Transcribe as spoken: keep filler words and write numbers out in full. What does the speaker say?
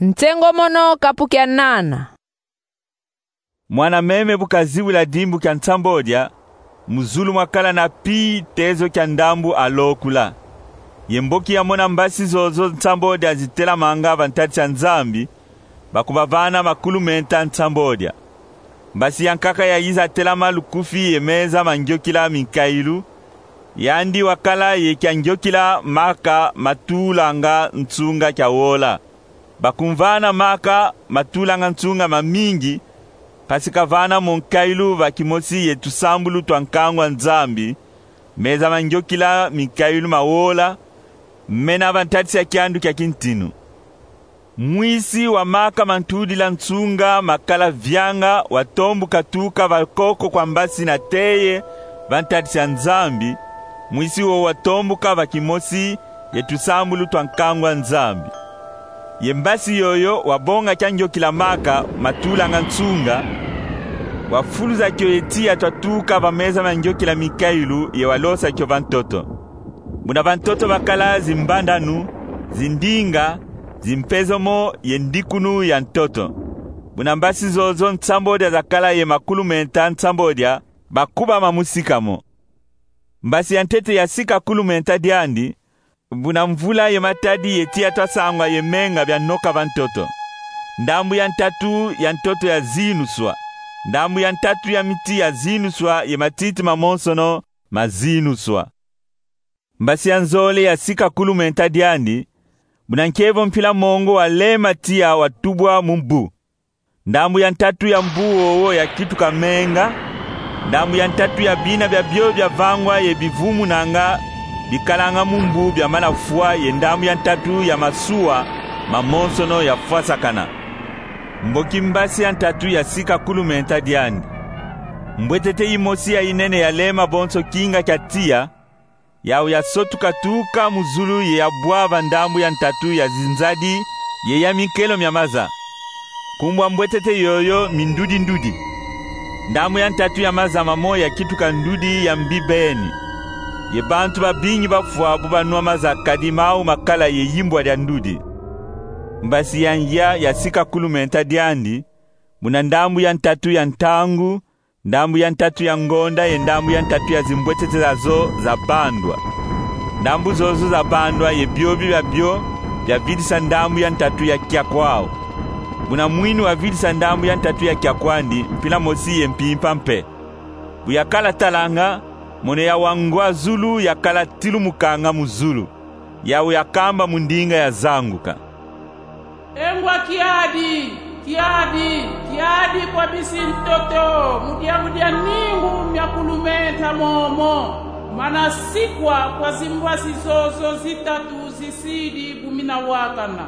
Nsengo mono kapu kia nana. Mwana meme bu kaziwila dimbu kia nsamb'odia, mu zulu mwakala na pi tezo kia ndambu alokula. Ye mboki yamona mbasi zozo nsamb'odia zitelamanga va ntadisi a Nzambi, bakubavana makulu menta nsamb'odia. Mbasi ya nkaka yayiza telama lukufi ye meza ma ngyokila minkailu, yandi wakala ye kia ngyokila maka matulanga nsunga kia wola. Bakumvana maka matulanga nsunga mamingi, mpasi kavana mo nkailu va kimosi ye tusambulu twa nkangu a Nzambi, meza ma ngyokila minkailu ma wola, mena va ntadisi a kiandu kia kintinu. Mwisi wa maka mantudila nsunga makala vianga watombuka tuka va koko kwa mbasi na teye va ntadisi a Nzambi, mwisi wo watombuka va kimosi ye tusambulu twa nkangu a Nzambi. Ye mbasi yoyo wabonga kia ngyokila maka matulanga nsunga, wafuluza kio ye tiya twatuka va meza ma ngyokila minkailu ye walosa kio va ntoto. Buna va ntoto bakala zimbandanu, zindinga, zimpezomo ye ndikunu ya ntoto. Buna mbasi zozo nsamb'odia zakala ye makulu menta nsamb'odia, bakubama mu sika mo. Mbasi ya ntete yasika kulu menta diandi, buna mvula ye matadi ye tiya twasangwa ye menga bianoka va ntoto. Ndambu ya ntatu ya ntoto yazinuswa. Ndambu ya ntatu ya miti yazinuswa ye matiti mamonsono mazinuswa. Mbasi ya nzole yasika kulu menta diandi, buna nkie vo mpila mongo walema tiya watubwa mu mbu. Ndambu ya ntatu ya mbu wowo yakituka menga, ndambu ya ntatu ya bina biabio biavangwa ye bivumunanga bikalanga mu mbu biamana fwa ye ndambu ya ntatu ya masuwa mamonsono yafwasakana. Mboki mbasi ya ntatu yasika kulu menta diandi. Mbwetete yimosi ya yinene yalema bonso kinga kia tiya, yau yasotuka tuka mu zulu ye yabwa va ndambu ya ntatu ya zinzadi ye ya minkelo mia maza. Nkumbu a mbwetete yoyo Mindudi-ndudi. Ndambu ya ntatu ya maza mamo yakituka ndudi ya mbibeni. Ye bantu babingi bafwa bu banwa maza kadi mau makala ye yimbwa dia ndudi. Mbasi ya ngia yasika kulu menta diandi, buna ndambu ya ntatu ya ntangu, ndambu ya ntatu ya ngonda ye ndambu ya ntatu ya zimbwetete zazo zabandwa. Ndambu zozo zabandwa ye biobi biabio biavidisa ndambu ya ntatu ya kiakwau. Buna mwini wavidisa ndambu ya ntatu ya kiakwandi mpila mosi ye mpimpa mpe. Bu yakala talanga, mono ya wa ngwa zulu yakala tilumukanga mu zulu. Yau yakamba mu ndinga yazanguka: E ngwa kiadi, kiadi, kiadi kwa bisi ntoto, mu diambu dia mingu mia kulu menta momo, mana sikwa kwa zimbwasi zozo zitatu zisidi bu mina wakana.